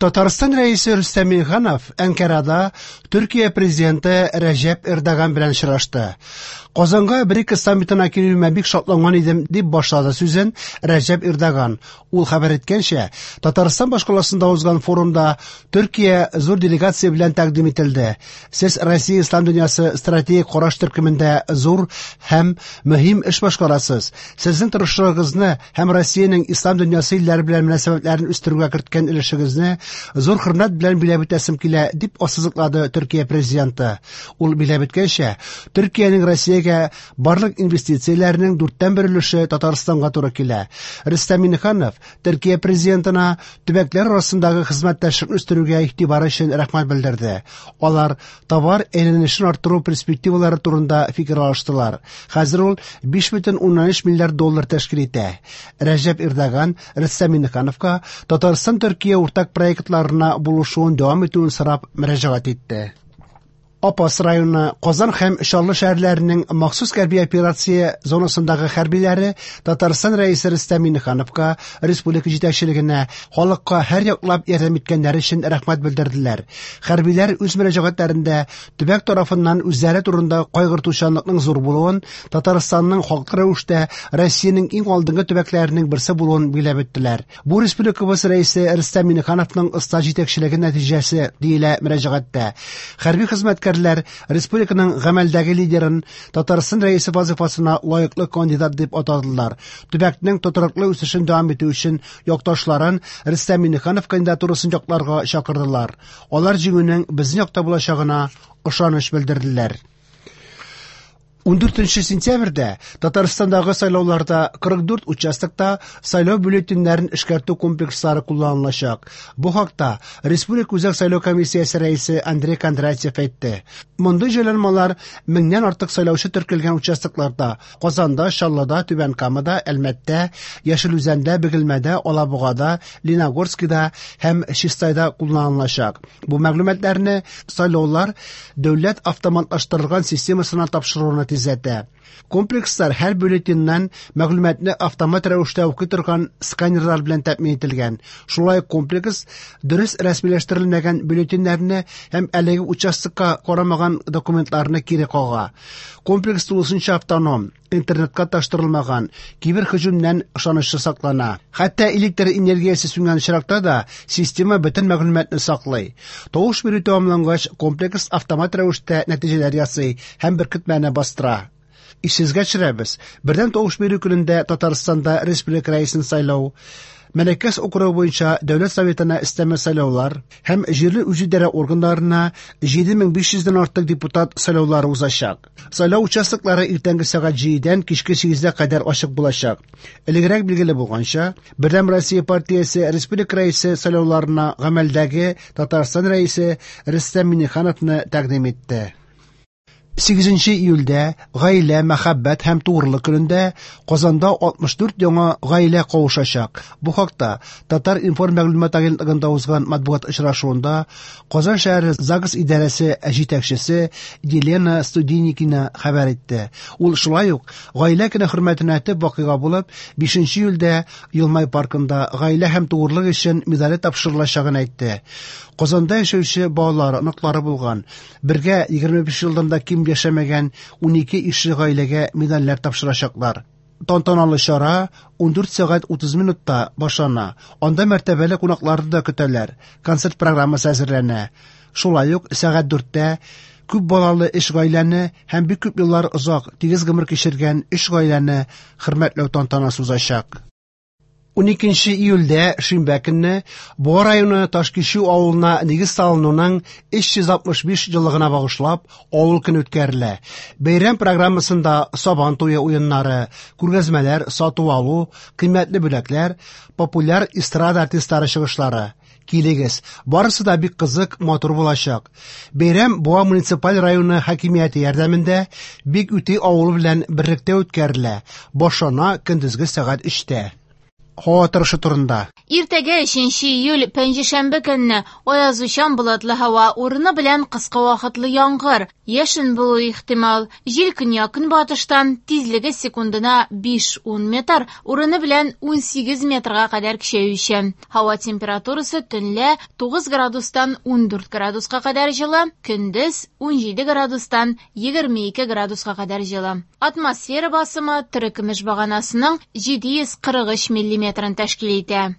Татарстан Рәисе Рөстәм Миңнеханов Әнкарада Төркия президенты Рәҗәп Эрдоган белән очрашты. Казанга БРИКС саммитына килүемә бик шатланган идем, дип башлады сүзен Рәҗәп Эрдоган. Ул хәбәр иткәнчә, Татарстан башкаласында узган форумда Төркия зур делегация белән тәкъдим ителде. Сез Россия ислам дөньясы стратегик караш төркемендә зур һәм мөһим эш башкарасыз. Сезнең тырышлыгыгызны һәм Россиянең ислам дөньясы илләре белән мөнәсәбәтләрен үстерүгә керткән өлешегезне зур хөрмәт белән биләп үтәсем килә, дип ассызыклады Төркия президенты. Ул биләп үткәнчә, Төркиянең Россиягә барлык инвестицияләренең дүрттән бер өлеше Татарстанга туры килә. Рөстәм Миңнеханов Төркия президентына төбәкләр арасындагы хезмәттәшлекне үстерүгә игътибары өчен рәхмәт белдерде. Алар товар әйләнешен арттыру перспективалары турында фикер алыштылар. Хәзер ул 5,3 миллиард доллар тәшкил итә. Рәҗәп Эрдоган Рөстәм Миңнехановка Татарстан-Төркия уртак проектларына булышуын дәвам итүен сорап мөрәҗәгать итте. Апас районы, Казан һәм Чаллы шәһәрләренең махсус хәрби операция зонасындагы хәрбиләре Татарстан Рәисе Рөстәм Миңнехановка, республика җитәкчелегенә, халыкка һәр яклап ярдәм иткәннәре өчен рәхмәт белдерделәр. Хәрбиләр үз мөрәҗәгатьләрендә төбәк тарафыннан үзләре турында кайгыртучанлыкның зур булуын, Татарстанның хаклы рәвештә Россиянең иң алдынгы төбәкләренең берсе булуын билгеләп үттеләр. Бу республикабыз Рәисе Рөстәм Миңнехановның оста җитәкчелеге нәтиҗәсе, диелә мөрәҗәгатьтә. Хәрби хезмәткәрләр республиканың гамәлдәге лидерын Татарстан Рәисе вазыйфасына лаеклы кандидат дип атадылар. Төбәкнең тотрыклы үсешен дәвам итү өчен якташларын Рөстәм Миңнеханов кандидатурасын якларга чакырдылар. Алар җиңүнең безнең якта булачагына ышаныч белдерделәр. 14 сентябрьдә Татарстандагы сайлауларда 44 участокта сайлау бюллетеньнәрен эшкәртү комплекслары кулланылачак. Бу хакта Республика Үзәк сайлау комиссиясе рәисе Андрей Кондратьев әйтте. Мондый җайланмалар меңнән артык сайлаучы теркәлгән участокларда Казанда, Чаллыда, Түбән Камада, Әлмәттә, Яшел Үзәндә, Бөгелмәдә, Алабугада, Лениногорскида һәм Чистайда кулланылачак. Бу мәгълүматларны сайлаулар дәүләт автоматлаштырылган системасына тапшыруны тизләтә. Комплекслар һәр бюллетеньнән мәгълүматны автомат рәвештә укый торган сканерлар белән тәэмин ителгән. Шулай ук комплекс дөрес рәсмиләштерелмәгән бюллетеньнәрне һәм әлеге участокка карамаган документларны кире кага. Комплекс тулысынча автоном, интернетка тоташтырылмаган, киберһөҗүмнән ышанычлы саклана. Хәтта электр энергиясе сүнгән очракта да система бөтен мәгълүматны саклый. Тавыш бирү тәмамлангач, комплекс автомат рәвештә нәтиҗәләр ясый һәм беркетмәне бастыра. Исегезгә төшерәбез, бердәм тавыш бирү көнендә Татарстанда республика рәисен сайлау, Мәләкәс округы буенча Дәүләт Советына өстәмә сайлаулар һәм җирле үзидарә органнарына 7500 дән артык депутат сайлаулары узачак. Сайлау участоклары иртәнге сәгать 7-дән кичке 8-гә кадәр ачык булачак. Элегрәк билгеле булганча, Бердәм Россия партиясе республика рәисе сайлауларына гамәлдәге Татарстан рәисе Рөстәм Миңнехановны тәкъдим итте. 8 июльдә Гаилә, мәхәббәт һәм тугрылык көнендә Казанда 64 яңа гаилә кавышачак. Бу хакта Татар-информ мәгълүмат агентлыгында узган матбугат очрашуында Казан шәһәре ЗАГС идарәсе җитәкчесе Елена Студеникина хәбәр итте. Ул шулай ук Гаилә көне хөрмәтенә төп вакыйга булып 5 июльдә Елмай паркында гаилә һәм тугрылык өчен медале тапшырылачагын әйтте. Казанда яшәүче балалары, оныклары булган, бергә 25 елдан да ким яшәмәгән 12 ишле гаиләгә медальләр тапшырачаклар. Тантаналы чара 14 сәгать 30 минутта башлана. Анда мәртәбәле кунакларны да көтәләр. Концерт программасы әзерләнә. Шулай ук сәгать 4-тә күп балалы өч гаиләне һәм бик күп еллар озак, тигез гомер кичергән өч гаиләне хөрмәтләү тантанасы узачак. 12 июльдә, шимбә көнне, Буа районы Ташкичү авылына нигез салынуның 365 еллыгына багышлап, авыл көне үткәрелә. Бәйрәм программасында Сабан туе уеннары, күргәзмәләр, сату-алу, кыйммәтле бүләкләр, популяр эстрада артистлары чыгышлары. Килегез, барысы да бик кызык, матур булачак. Бәйрәм Буа муниципаль районы хакимияте ярдәмендә Бик Үти авылы белән берлектә үткәрелә. Башлана көндезге сәгать 3-тә. һава торышы турында. Иртәгә 3 июль пәнҗешәмбе көнне аязучан болытлы һава, урыны белән кыска вакытлы яңгыр, яшен булуы ихтимал. Җил көньяк-көнбатыштан, тизлеге секундына 5-10 метр, урыны белән 18 метрга кадәр көчәючән. Һава температурасы төнлә 9 градустан 14 градуска кадәр җылы, көндез 17 градустан 22 градуска кадәр җылы. Атмосфера басымы терекөмеш баганасының 743 миллиметрын тәшкил итә.